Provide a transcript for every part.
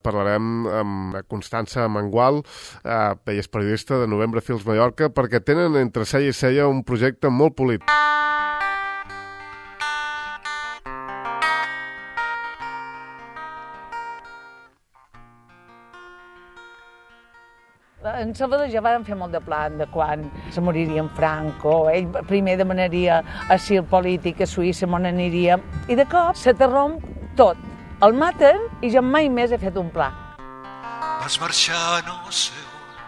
parlarem amb Constança Mangual, ella és periodista de Novembre Films Mallorca, perquè tenen entre cella i cella un projecte molt polit. En Salvador ja vàrem fer molt de plan de quan se moriria en Franco. Ell primer demanaria asil polític a Suïssa, on aniríem, i de cop s'aterromp tot. El maten i jo mai més he fet un pla. Vas marxar no sé on.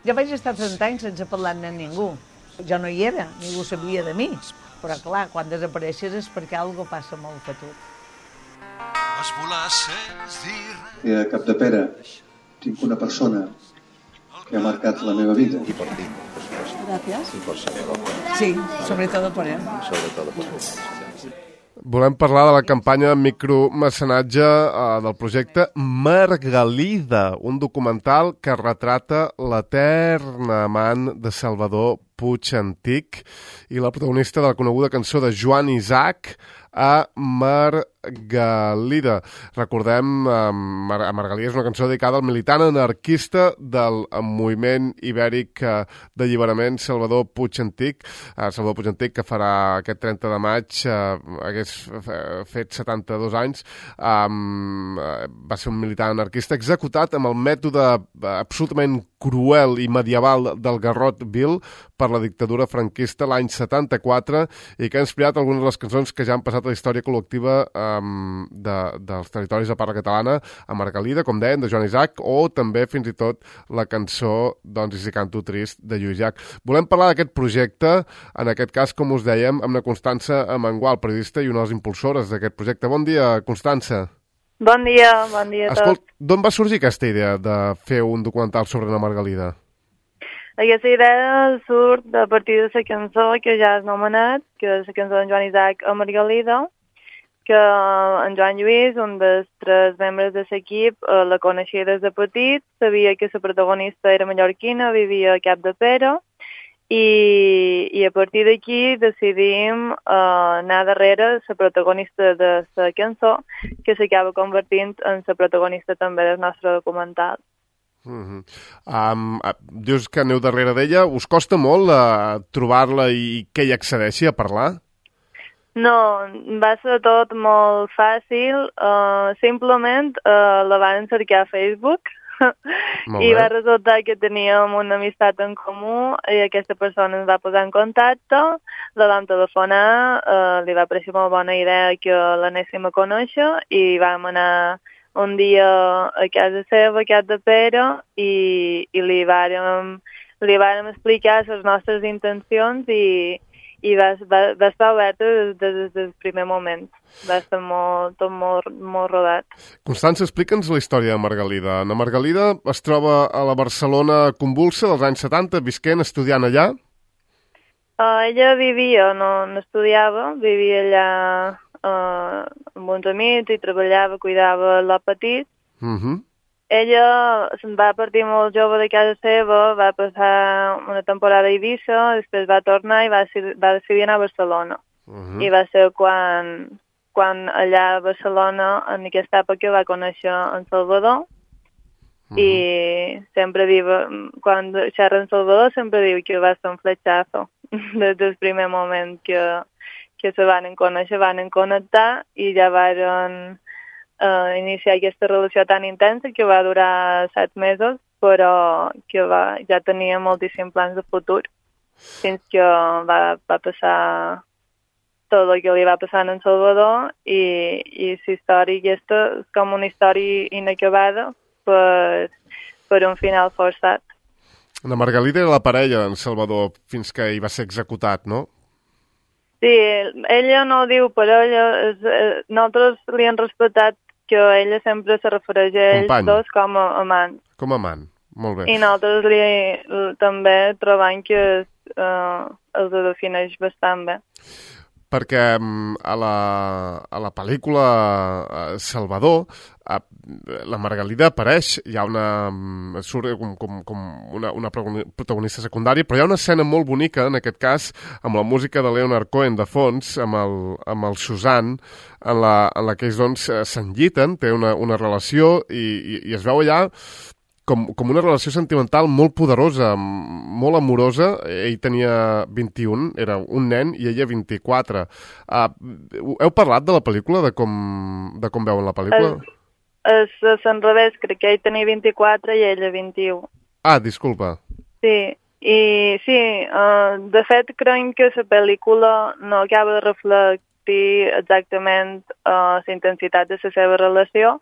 Jo vaig estar 30 anys sense parlar-ne amb ningú. Jo no hi era, ningú sabia de mi. Però clar, quan desapareixes és perquè alguna cosa passa molt fotut. Vas volar sense dir res. I a Capdepera tinc una persona que ha marcat la meva vida. Y por ti. Gràcies. Y por Salvador. Sí, sobretot per ell. Sobre todo por ti. Volem parlar de la campanya de micromecenatge del projecte Margalida, un documental que retrata l'eterna amant de Salvador Puig Antic i la protagonista de la coneguda cançó de Joan Isaac, a Margalida. Recordem, Margalida és una cançó dedicada al militant anarquista del moviment ibèric d'alliberament Salvador Puig Antic. Salvador Puig Antic, que farà aquest 30 de maig, hagués fet 72 anys, va ser un militant anarquista executat amb el mètode absolutament cruel i medieval del garrot vil per la dictadura franquista l'any 74 i que ha inspirat algunes de les cançons que ja han passat a la història col·lectiva dels territoris de parla catalana, a Margalida, com deien, de Joan Isaac, o també fins i tot la cançó doncs, I si canto trist, de Lluís Llach. Volem parlar d'aquest projecte, en aquest cas, com us dèiem, amb la Constança Mangual, periodista i una de les impulsores d'aquest projecte. Bon dia, Constança. Bon dia a tots. Escolta, d'on va sorgir aquesta idea de fer un documental sobre la Margalida? Aquesta idea surt a partir de la cançó que ja has anomenat, que és la cançó d'en Joan Isaac a Margalida, que en Joan Lluís, un dels 3 membres de l'equip, la coneixia des de petit, sabia que la protagonista era mallorquina, vivia a Capdepera, i a partir d'aquí decidim anar darrere la protagonista de la cançó, que s'acaba convertint en la protagonista també del nostre documental. Dius que aneu darrere d'ella. Us costa molt trobar-la i que ella accedeixi a parlar? No, va ser tot molt fàcil. Simplement la van cercar a Facebook i va resultar que teníem una amistat en comú i aquesta persona ens va posar en contacte, la vam telefonar, li va parecer molt bona idea que l'anéssim a conèixer i vam anar un dia a casa seva, a Capdepera, i li vàrem explicar les nostres intencions i va estar oberta des del primer moment. Va estar tot molt rodat. Constança, explica'ns la història de Margalida. La Margalida es troba a la Barcelona convulsa dels anys 70, visquent, estudiant allà? Ella vivia, no estudiava, vivia allà amb uns amics i treballava, cuidava el petit. Ella se'n va partir molt jove de casa seva, va passar una temporada a Eivissa, després va tornar i va decidir anar a Barcelona. I va ser quan allà a Barcelona, en aquesta època, va conèixer en Salvador i sempre diu, quan xerra en Salvador, sempre diu que va ser un fletxazo des del primer moment que se van conèixer, van connectar i ja van iniciar aquesta relació tan intensa que va durar 7 mesos, però que ja tenia moltíssims plans de futur fins que va passar tot el que li va passar en Salvador i la història aquesta és com una història inacabada per un final forçat. La Margalida era la parella d'en Salvador fins que hi va ser executat, no? Sí, ella no ho diu parella, nosaltres li hem respectat que ella sempre se refereix a ells dos com a amant. Com a amant, molt bé. I nosaltres també trobem que els defineix bastant bé. perquè a la pel·lícula Salvador la Margalida apareix, hi ha surt com una protagonista secundària, però hi ha una escena molt bonica, en aquest cas, amb la música de Leonard Cohen de fons, amb el Suzanne, en la que ells doncs s'enlliten, té una relació i es veu allà com una relació sentimental molt poderosa, molt amorosa. Ell tenia 21, era un nen, i ella 24. Heu parlat de la pel·lícula, de com veuen la pel·lícula? És l'enrevés, crec que ell tenia 24 i ella 21. Ah, disculpa. Sí, de fet creiem que la pel·lícula no acaba de reflectir exactament la intensitat de la seva relació,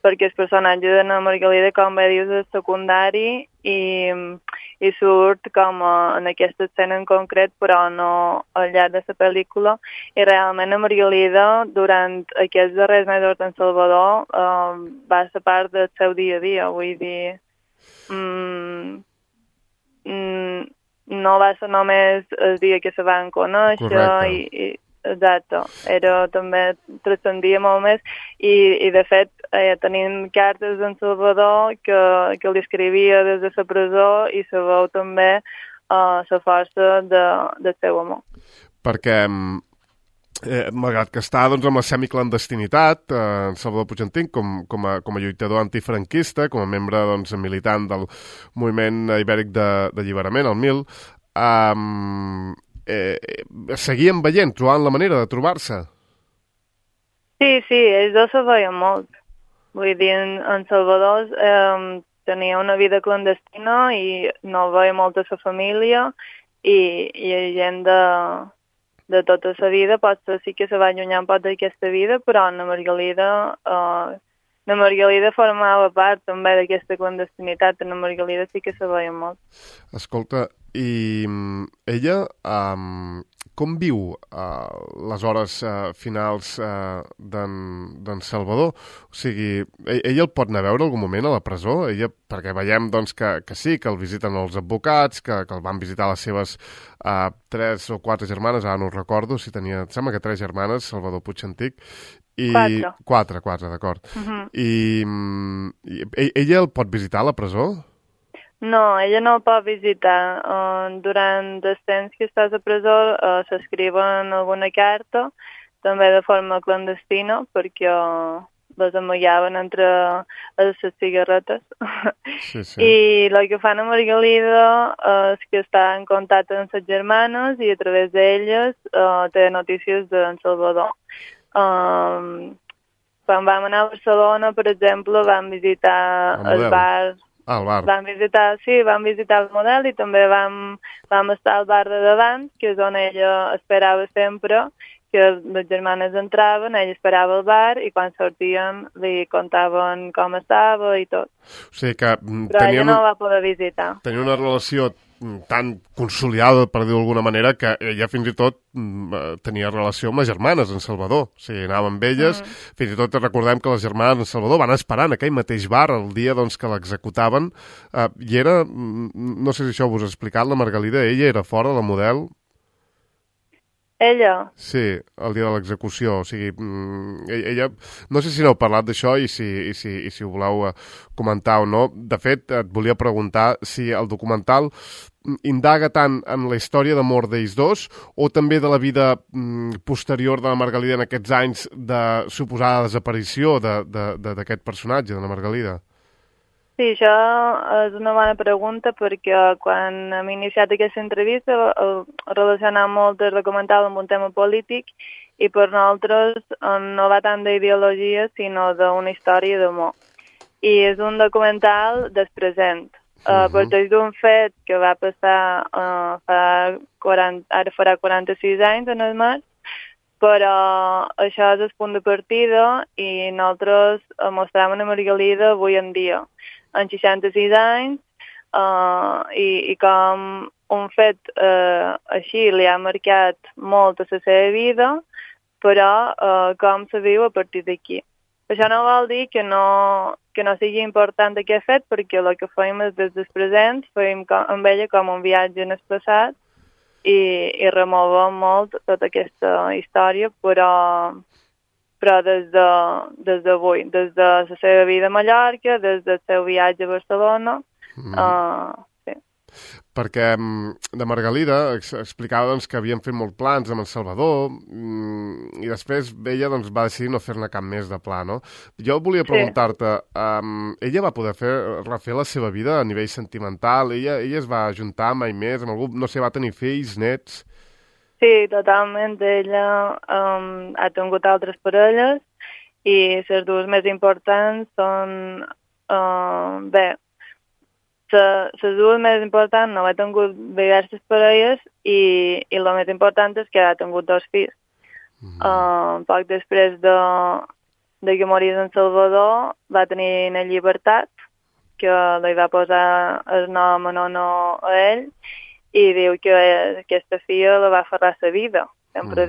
perquè el personatge de la Margalida, com bé dius, és secundari i surt com en aquesta escena en concret, però no al llarg de la pel·lícula. I realment la Margalida, durant aquests darrers mesos en Salvador, va ser part del seu dia a dia. Vull dir, no va ser només el dia que se van conèixer. Exacte, també transcendia molt més i de fet tenim cartes d'en Salvador que li escrivia des de la presó i se veu també la força del seu amor. Perquè malgrat que està doncs, amb la semiclandestinitat, en Salvador Puigantich, com a lluitador antifranquista, com a membre doncs, militant del moviment ibèric d'alliberament, el MIL, seguien veient, trobant la manera de trobar-se. Sí, ells dos se veien molt. Vull dir, en Salvador tenia una vida clandestina i no veia molta sa família i gent de tota sa vida potser sí que se va allunyar un poc d'aquesta vida, però la Margalida formava part també d'aquesta clandestinitat. La Margalida sí que se veia molt. Escolta, i ella com viu les hores finals d'en Salvador? O sigui, ella el pot anar a veure algun moment a la presó? Perquè veiem doncs, que sí, que el visiten els advocats, que el van visitar les seves 3 o 4 germanes, ara no ho recordo, em sembla que 3 germanes, Salvador Puigantich. 4, d'acord. I ella el pot visitar a la presó? No, ella no el pot visitar. Durant el temps que estàs a presó s'escriuen alguna carta, també de forma clandestina, perquè les amagaven entre les cigarretes. Sí. I el que fan a Margalida és que està en contacte amb les germanes i a través d'elles té notícies d'en Salvador. Quan vam anar a Barcelona, per exemple, vam visitar el bar. El bar. Vam visitar el model i també vam estar al bar de davant, que és on ella esperava sempre que les germanes entraven, ella esperava al bar i quan sortien li contaven com estava i tot. O sigui que però ella no va poder visitar. Tenia una relació tan consolidada, per dir-ho d'alguna manera, que ella fins i tot tenia relació amb les germanes en Salvador. O sigui, anava amb elles, fins i tot recordem que les germanes en Salvador van esperar en aquell mateix bar el dia doncs, que l'executaven, i era, no sé si això vos ha explicat, la Margalida, ella era fora de la model. Ella? Sí, el dia de l'execució. O sigui, ella... No sé si n'heu parlat d'això i si ho voleu comentar o no. De fet, et volia preguntar si el documental indaga tant en la història d'amor d'ells dos o també de la vida posterior de la Margalida en aquests anys de suposada desaparició d'aquest personatge, de la Margalida. Sí, això és una bona pregunta perquè quan hem iniciat aquesta entrevista relacionam molt el documental amb un tema polític i per nosaltres no va tant d'ideologia sinó d'una història d'amor. I és un documental del present. Parteix d'un fet que va passar ara farà 46 anys en el març, però això és el punt de partida i nosaltres mostrem a Margalida avui en dia, en 66 anys, i com un fet així li ha marcat molt a la seva vida, però com se viu a partir d'aquí. Això no vol dir que no sigui important aquest fet, perquè el que fem és des del present, fem amb ella com un viatge en el passat, i remova molt tota aquesta història, però des d'avui, des de la seva vida a Mallorca, des del seu viatge a Barcelona, sí. Perquè de Margalida explicava doncs, que havien fet molts plans amb en Salvador i després ella doncs, va decidir no fer-ne cap més de pla, no? Jo volia preguntar-te, ella va poder refer la seva vida a nivell sentimental? Ella es va ajuntar mai més amb algú? No sé, va tenir fills, nets? Sí, totalment. Ella ha tingut altres parelles i les dues més importants són... les dues més importants no ha tingut diverses parelles i el més important és que ha tingut 2 fills. Poc després de que morís en Salvador va tenir una Llibertat, que li va posar el nom en honor a ell, i diu que aquesta filla la va aferrar a la vida. Sempre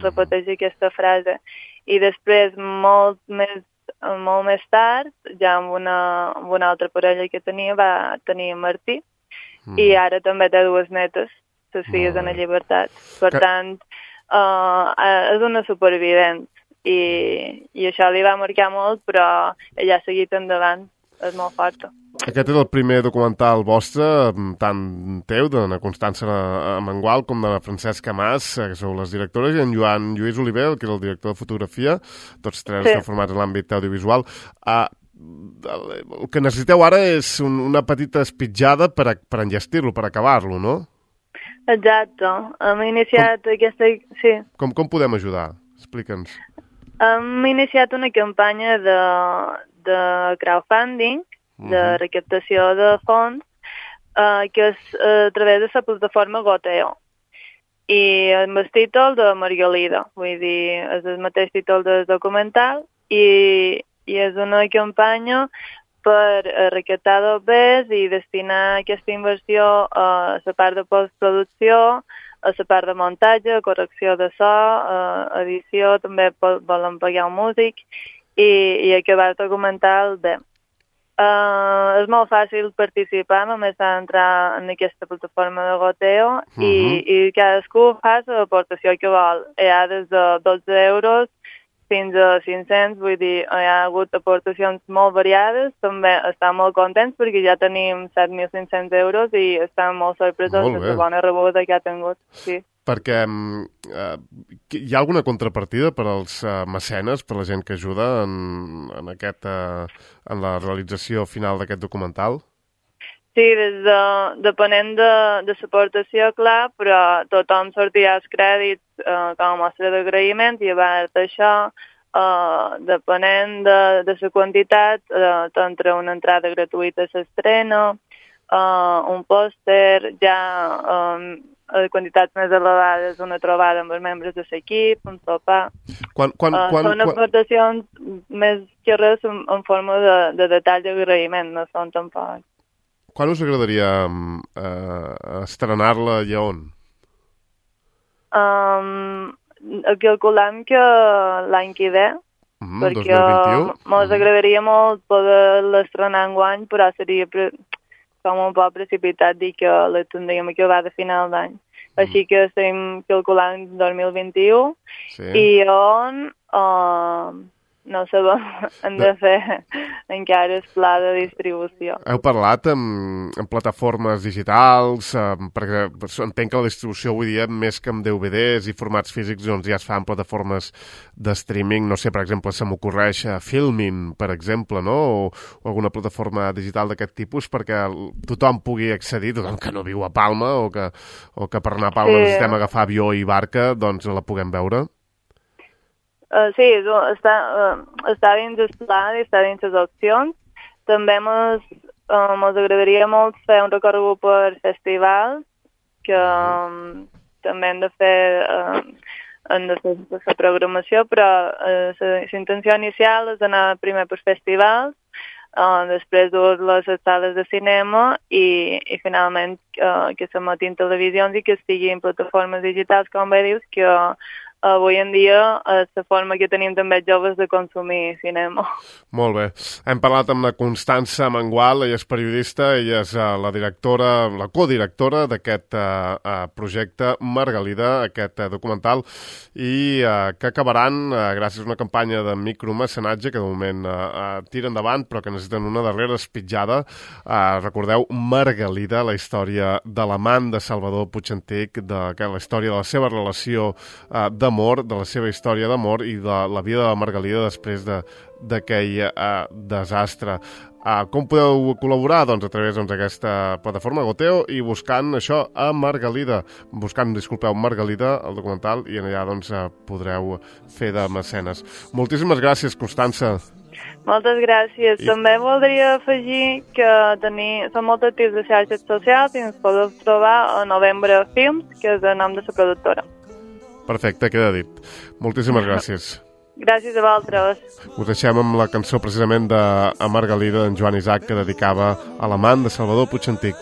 repeteix aquesta frase. I després, molt més tard, ja amb una altra parella que tenia, va tenir Martí, i ara també té 2 netes, les filles de la Llibertat. Per tant, és una supervivent, i això li va marcar molt, però ella ha seguit endavant, és molt forta. Aquest és el primer documental vostre, tant teu, de la Constança Mengual, com de la Francesca Mas, que sou les directores, i en Joan Lluís Oliver, que és el director de fotografia, tots 3 estan formats en l'àmbit audiovisual. El que necessiteu ara és una petita espitjada per enllestir-lo, per acabar-lo, no? Exacte. Hem iniciat aquesta... Sí. Com podem ajudar? Explica'ns. Hem iniciat una campanya de crowdfunding, de recaptació de fons, que és a través de la plataforma Goteo. I amb el títol de Margalida, vull dir, és el mateix títol del documental, i és una campanya per recaptar dobbers i destinar aquesta inversió a la part de postproducció, a la part de muntatge, correcció de so, edició, també volen pagar un músic, i acabar el documental bé. És molt fàcil participar, només s'ha d'entrar en aquesta plataforma de Goteo i cadascú fa l'aportació que vol. Hi ha des de 12 euros fins a 500, vull dir, hi ha hagut aportacions molt variades, també estan molt contents perquè ja tenim 7.500 euros i estan molt sorpresos de la bona rebuda que ha tingut. Sí. Perquè hi ha alguna contrapartida per als mecenes, per la gent que ajuda en la realització final d'aquest documental? Sí, depenent de l'aportació, clar, però tothom sortirà els crèdits com a mostra d'agraïment i a part d'això, depenent de la quantitat, t'entra una entrada gratuïta a l'estrena, un pòster, ja a quantitats més elevades, una trobada amb els membres de l'equip, un sopar. Són aportacions més que res en forma de detall d'agraïment, no són tampoc. Quan us agradaria estrenar-la i on? Calculem que l'any que ve, perquè 2021? Ens agradaria molt poder l'estrenar enguany, però seria com un poc precipitat dir que la tindríem acabar de final d'any. Així que estem calculant 2021 i on no sabem, hem de fer encara el pla de distribució. Heu parlat amb plataformes digitals, perquè entenc que la distribució avui dia, més que amb DVDs i formats físics, doncs ja es fa en plataformes de streaming, no sé, per exemple, se m'ocorreix Filmin, per exemple, no? O alguna plataforma digital d'aquest tipus, perquè tothom pugui accedir, tothom que no viu a Palma o que per anar a Palma necessitem agafar avió i barca, doncs la puguem veure. Sí, està dins el pla i està dins les opcions. També ens agradaria molt fer un recorregut per festivals, que també hem de fer la programació, però la intenció inicial és anar primer per festivals, després dur-les a sales de cinema i finalment que s'emetin televisions i que estiguin plataformes digitals, com bé dius, que avui en dia la forma que tenim també els joves de consumir cinema. Molt bé. Hem parlat amb la Constança Mengual, ella és periodista, ella és la directora, la codirectora d'aquest projecte Margalida, aquest documental, i que acabaran gràcies a una campanya de micromecenatge que de moment tira endavant, però que necessiten una darrera espitjada. Recordeu, Margalida, la història de l'amant de Salvador Puig-Antich, la història de la seva relació d'amor, de la seva història d'amor i de la vida de la Margalida després d'aquell desastre. Com podeu col·laborar? Doncs a través d'aquesta plataforma Goteo i buscant això a Margalida. Disculpeu, Margalida, el documental, i allà podreu fer de mecenes. Moltíssimes gràcies, Constança. Moltes gràcies. També voldria afegir que som molt actius de xarxes socials i ens podeu trobar a Novembre Films, que és el nom de la productora. Perfecte, queda dit. Moltíssimes gràcies. Gràcies a vosaltres. Us deixem amb la cançó precisament de Margalida d'en Joan Isaac, que dedicava a l'amant de Salvador Puig-Antich.